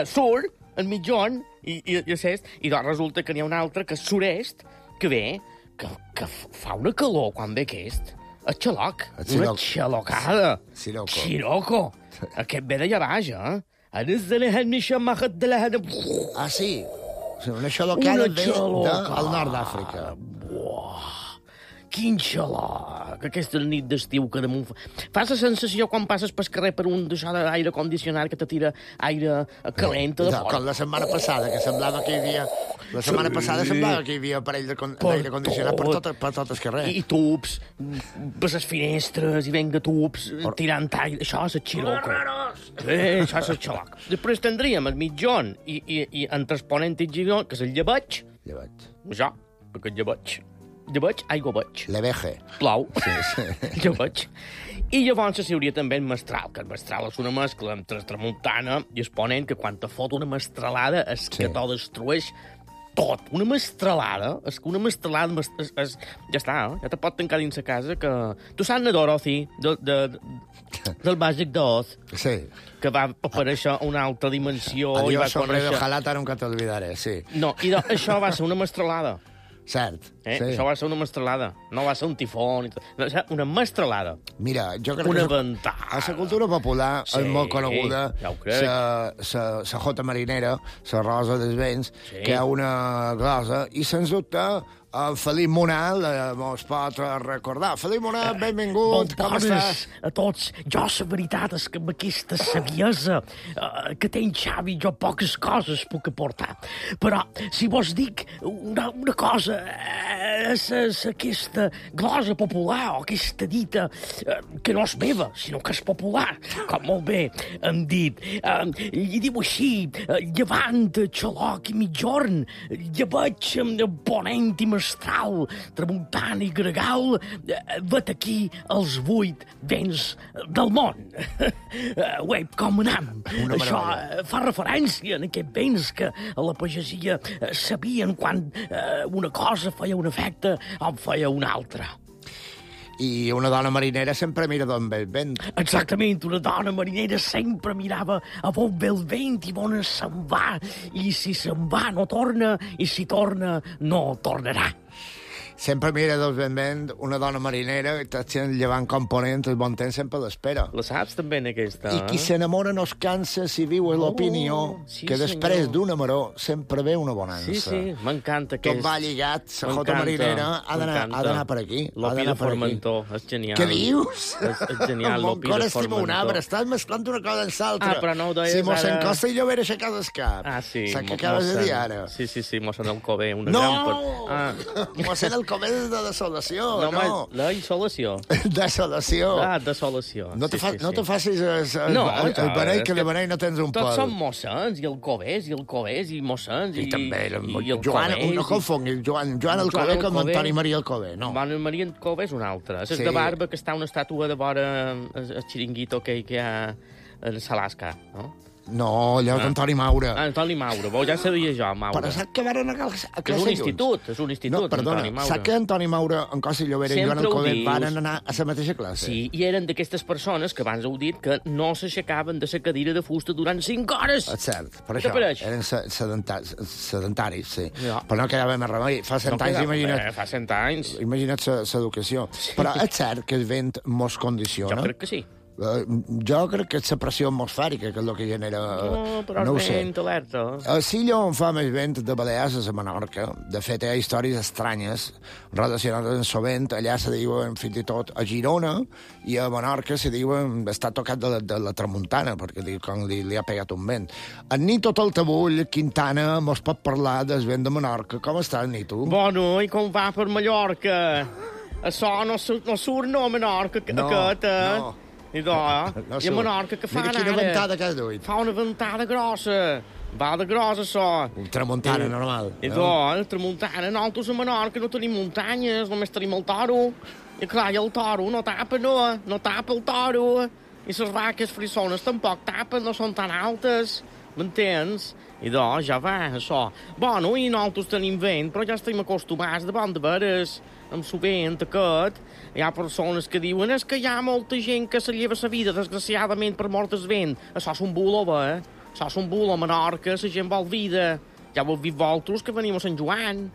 sur, el mitjon, i est, i doncs resulta que n'hi ha un altre, que és sud-est, que ve, que fa una calor quan ve aquest. El xaloc. Una xalocada. Siroco. Aquest ve d'allà baix, sí? Una xalocada ve del nord d'Àfrica. Quin xaloc! Aquesta nit d'estiu que damunt... Fas la sensació quan passes pel carrer per un d'això d'aire condicionat que te tira aire calent de fora. Com la setmana passada, que semblava que hi havia... La setmana passada semblava que hi havia aparell d'aire condicionat per tot el carrer. I tubs, per les finestres, i venga tubs, tirant aire. Això és el xiroco. Això és el xaloc. Després tindríem el mitjon i entre el ponent i el gigant, que és el llebeig. Això, perquè el llebeig. Llebeig, aigua veig. L'eveje. Plou. Sí. Llebeig. I llavors hi hauria també el mestral, que el mestral és una mescla entre tramuntana i el ponent, que quan te fot una mestralada és que t'ho destrueix tot. Una mestralada, és que una mestralada ja està, ja te pot tancar dins la casa, que... Tu saps la Dorothy, del Màgic d'Oz? Sí. Que va aparèixer a una altra dimensió. Adiós, hombre de ojalata, nunca te olvidaré, sí. No, i això va ser una mestralada. Cert. Sí. Això va ser una mestralada. No va ser un tifó. Una mestralada. Mira, jo crec una que... ventada. A la cultura popular és molt coneguda ja ho crec. la jota marinera, la rosa dels vents, que hi ha una glosa, i sens dubte el Felip Monal mos pot recordar. Felip Monal, benvingut, com estàs? A tots. Jo, la veritat és que amb aquesta saviesa que té en Xavi, jo poques coses puc aportar. Però, si vos dic una cosa, és aquesta glosa popular, o aquesta dita, que no és meva, sinó que és popular, com molt bé hem dit. I diu així, llevant, xaloc i mitjorn, lleveig, ponent i mestral, tramuntant i gregal, vet aquí els 8 vents del món. Uep, com anam? Això fa referència a aquests vents que a la pagesia sabien quan una cosa feia un efecte o feia una altra. I una dona marinera sempre mira d'on ve el vent. Exactament, una dona marinera sempre mirava a on ve el vent i on se'n va. I si se'n va no torna, i si torna no tornarà. Sempre mira del vent, una dona marinera, que està sent llevant component, el bon temps sempre l'espera. La saps també en aquesta, I qui s'enamora no es cansa si viu en l'opinió, que després d'una maró sempre ve una bonança. Sí, m'encanta aquest. Tot va lligat, la jota marinera ha d'anar per aquí. L'opi de Formentor, és genial. Què dius? És genial, l'opi de Formentor. Un arbre, estàs mesclant una cosa amb l'altra. Però no ho deies si mos s'encosta i jo veré aixecar el cap. Sí. Saps què acabes de dir ara? Sí, mos en el Cové, un exemple. No! Mos en el com és de desolació, No, no. la insolació. Desolació. Desolació. No te facis el beneit, que de beneit no tens un Tots pèl. són mossens, i alcovers, i mossens, I també, el Joan, Covers, no confonguis, Joan Alcover com Antoni Maria Alcover, no. Joan Maria Alcover és un altre. És Sí. de barba que està una estàtua de vora el xiringuito que hi ha a Salasca, no? No, allò d'Antoni Maura. Antoni Maura, ja sabia jo, Maura. Però saps que van anar a És classe un junts? institut, No, perdona, Antoni Maura. saps que Antoni Maura, en Costa Llobera i Joan Sempre ho Alcover dius. van anar a la mateixa classe? Sí, i eren d'aquestes persones que abans heu dit que no s'aixecaven de la cadira de fusta durant 5 hores. És cert, per Què això. pareix? Eren sedentaris, sí. Ja. Però no quedava més remei. Fa 100 anys, imagina't. Fa 100 anys. Imagina't l'educació. Però és cert que el vent mos condiciona. Jo crec que sí. Jo crec que és la pressió atmosfèrica que és el que genera... No, però no ho és sé. vent alerta. A Silla, on fa més vent de Balears, és a Menorca. De fet, hi ha històries estranyes relacionades amb el vent. Allà se diuen, fins i tot, a Girona i a Menorca se diuen està tocat de la tramuntana, perquè com li ha pegat un vent. En Nito Taltabull, Quintana, mos pot parlar del vent de Menorca. Com estàs, Nito? Bueno, i com va per Mallorca? Això no surt, no, a Menorca, aquest, eh? no. I a Menorca, què fan Mira quina ara? ventada que has duit. Fa una ventada grossa. Va de gros, això. Un tramuntana normal. I tramuntana. Nosaltres a Menorca no tenim muntanyes, només tenim el toro. I clar, i el toro no tapa, no tapa el toro. I les vaques frissones tampoc tapen, no són tan altes. M'entens? I ja va, això. Bueno, i nosaltres tenim vent, però ja estem acostumats de bon de veres amb el vent aquest. Hi ha persones que diuen és que hi ha molta gent que se lleva la vida, desgraciadament, per mort del vent. Això és un bulo, eh? Això és un bulo a Menorca, la gent vol vida. Ja ho heu vist vosaltres, que venim a Sant Joan.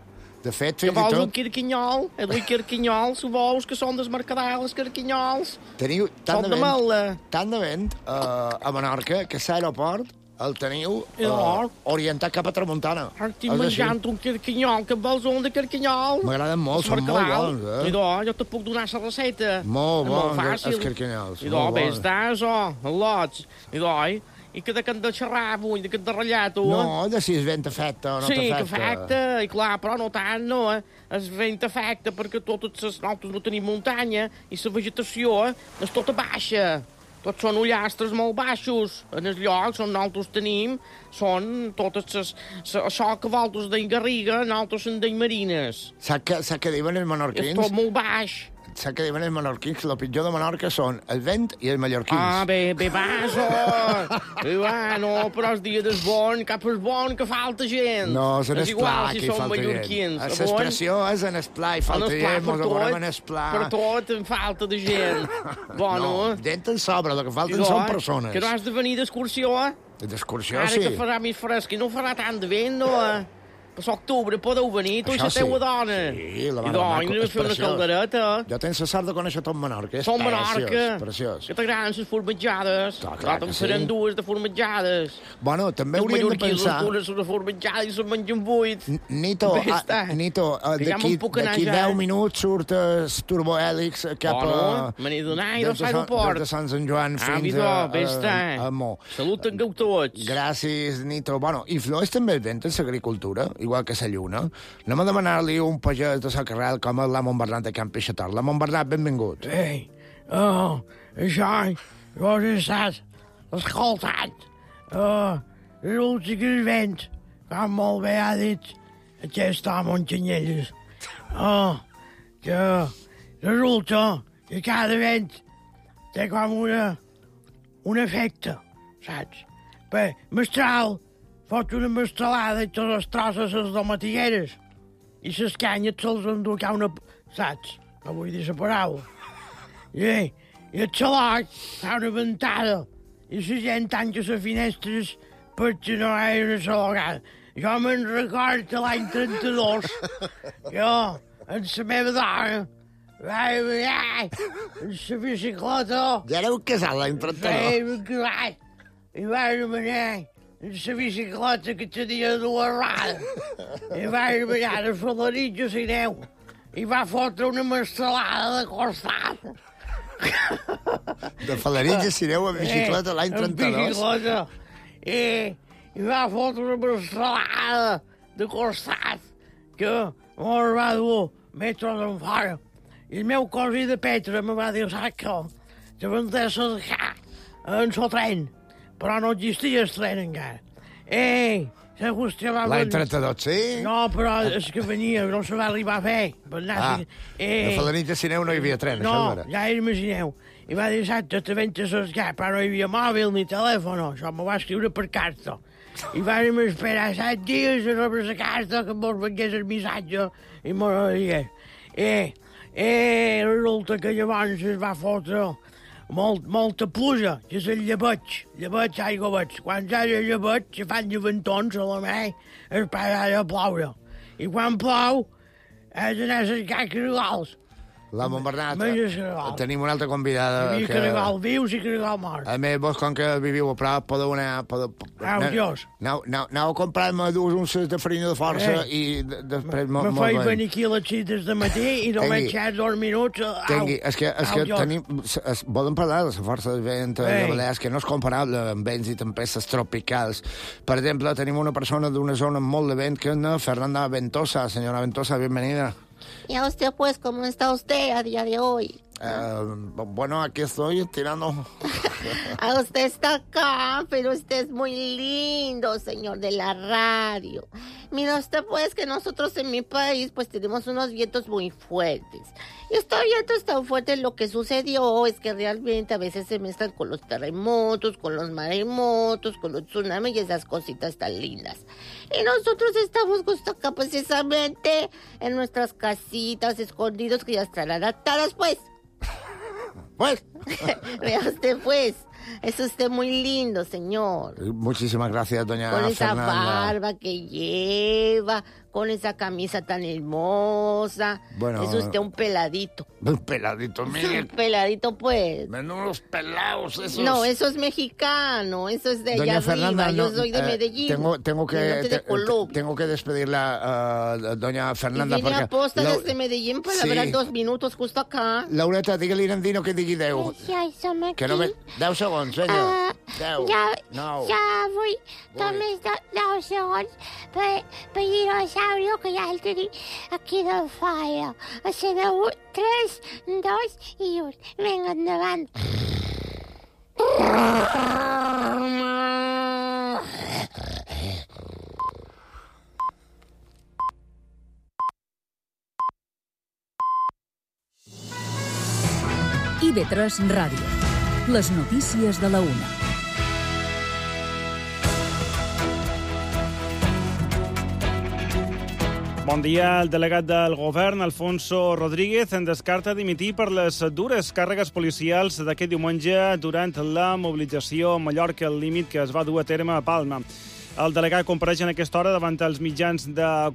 De fet, Que fins i vols un tot... quirquinyol? Quirquinyol, si vols, que són des mercadals, quirquinyols. Teniu tant Són de de Mala. tant de vent a Menorca que l'aeroport el teniu Llavors? orientat cap a Tramuntana. Estic És així. menjant un quirquinyol, que vols un de quirquinyol? M'agraden molt, Els són molt mercadals. bons, eh? I jo te puc donar la recepta. Molt És bons, fàcil. els quirquinyols, I molt bé, bons. està, això, el lots. I que de que han de xerrar avui, de que han de ratllar, tu. No, de si el vent afecta o no Sí, que t'afecta. afecta, i clar, però no tant, no, eh? El vent afecta perquè nosaltres no tenim muntanya i la vegetació és tota baixa. Tots són ullastres molt baixos. En els llocs on nosaltres tenim són totes això que vosaltres deien Garriga, nosaltres en deien Marines. Saps què diuen els És menorquins? tot molt baix. Saps què diuen els menorquins? El pitjor de Menorca són el vent i els mallorquins. Ah, bé, va, això. Va, no, però els dies és bon, cap és bon, que falta gent. No, és en és igual esplà si que hi són falta gent. mallorquins. L'expressió és en esplà i falta gent, mos veurem en esplà. Per tot en falta de gent. Bueno, No, gent en sobra, el que falten idò, són persones. Que no has de venir d'excursió, eh? D'excursió, Ara sí. que farà més fresc i no farà tant de vent, no, eh? Per l'octubre podeu venir, tu i Això la teua sí. dona. Sí, la I mare doncs, maco, anem a és fer una preciós. caldereta. Jo tens la sort de conèixer tot Menorca. És Som Menorca. preciós. Que t'agraden les formatjades. Clar que en sí. seran dues de formatjades. Bueno, també Els hauríem de mallorquins pensar... les donen una formatjada i se'n mengen 8. Nito, Bé està. Que ja me'n puc anar d'aquí ja. 10 minuts surt el turbohèlix cap a... me n'he donat i des dos de Sant- aeroport. des de Sant Sant Joan fins vidò, bé està. a Mo. Salut en tots. Gràcies, Nito. Bueno, influeix també el vent en l'agricultura, igual que la lluna. Anem a demanar-li un pagès de la carrel com el Lamont Bernat de Can Peixator. Lamont Bernat, benvingut. Ei, això, vos estàs escoltant. Resulta que el vent, com molt bé ha dit aquest home en Canyelles, que resulta que cada vent té com un efecte, saps? Bé, Mestral fot una mestralada i totes les trosses les domatigueres i les canyes se'ls enduca una... saps? No vull dir la paraula. I el xaloc fa una ventada i la gent tanca les finestres perquè no hi ha una xalogada. Jo me'n recordo l'any 32, jo, amb la meva dona, vaig venir en la bicicleta. Ja éreu casat l'any 32. I vaig venir en la bicicleta que tenia dues rodes. I vaig venir de Falaritx a Sineu. I va fotre una mestralada de costat. De Falaritx a Sineu amb bicicleta l'any 32. En bicicleta. I va fotre una mestralada de costat que mos va dur metro d'en fora. I el meu cosí de Petra me va dir, saps què? Te vendràs a deixar en el tren, però no existia el tren encara. Se vostè va... L'any 32, sí? No, però és que venia, no se va arribar a fer. A Falanit de Sineu no hi havia tren, no, això era. ja imagineu. I va dir, exacte, te ventes a escar, però no hi havia mòbil ni telèfon, això m'ho va escriure per carta. I vam esperar 7 dies a rebre la carta que mos vengués el missatge i mos digués. Resulta que llavors es va fotre molta pluja, que és el llebeig, aigua veig. Quan hi ha llebeig, se fan llevantons a la mà, es para de ploure. I quan plou, has d'anar a cercar caragals. L'home Bernat, Menges caragol. tenim una altra convidada. Hi havia caragol vius i caragol morts. A més, vos, com que viviu a prop, podeu anar... Dios. Aneu a comprar-me 2 unces de farina de força i després... Me feia venir aquí a les 6 del matí i només xer 2 minuts... És que tenim... Volem parlar de la força de vent de Balears, que no és comparable amb vents i tempestes tropicals. Per exemple, tenim una persona d'una zona amb molt de vent, que és Fernanda Ventosa. Senyora Ventosa, bienvenida. ¿Y a usted, pues, cómo está usted a día de hoy? Bueno, aquí estoy tirando... Usted está acá, pero usted es muy lindo, señor de la radio. Mira usted, pues, que nosotros en mi país, pues, tenemos unos vientos muy fuertes. Y estos vientos tan fuertes, lo que sucedió es que realmente a veces se mezclan con los terremotos, con los maremotos, con los tsunamis y esas cositas tan lindas. Y nosotros estamos justo acá, precisamente, en nuestras casitas escondidos, que ya están adaptadas, pues. Pues. Vea usted, pues. Es usted muy lindo, señor. Muchísimas gracias, doña Con esa Fernanda. barba que lleva, con esa camisa tan hermosa. Bueno, es usted un peladito. Un peladito, mire. Un peladito, pues. Menudos pelados esos. No, eso es mexicano, eso es de allá Doña arriba. Fernanda, Yo soy de Medellín. Tengo que que despedirla, doña Fernanda. Y vine a posta la- desde Medellín para Sí. hablar 2 minutos justo acá. Laureta, digue-li a Nandino que digui 10. Ja hi som aquí. Que no ve... 10 segons, vinga. 10, Ja 9. vull només 10 segons per dinosaurio, que ja el tenim aquí de fora. Sabeu? 3, 2 i 1. Vinga, endavant. IB3 Ràdio. Les notícies de la una. Bon dia. El delegat del govern, Alfonso Rodríguez, en descarta dimitir per les dures càrregues policials d'aquest diumenge durant la mobilització a Mallorca al límit que es va dur a terme a Palma. El delegat compareix en aquesta hora davant els mitjans de comunicació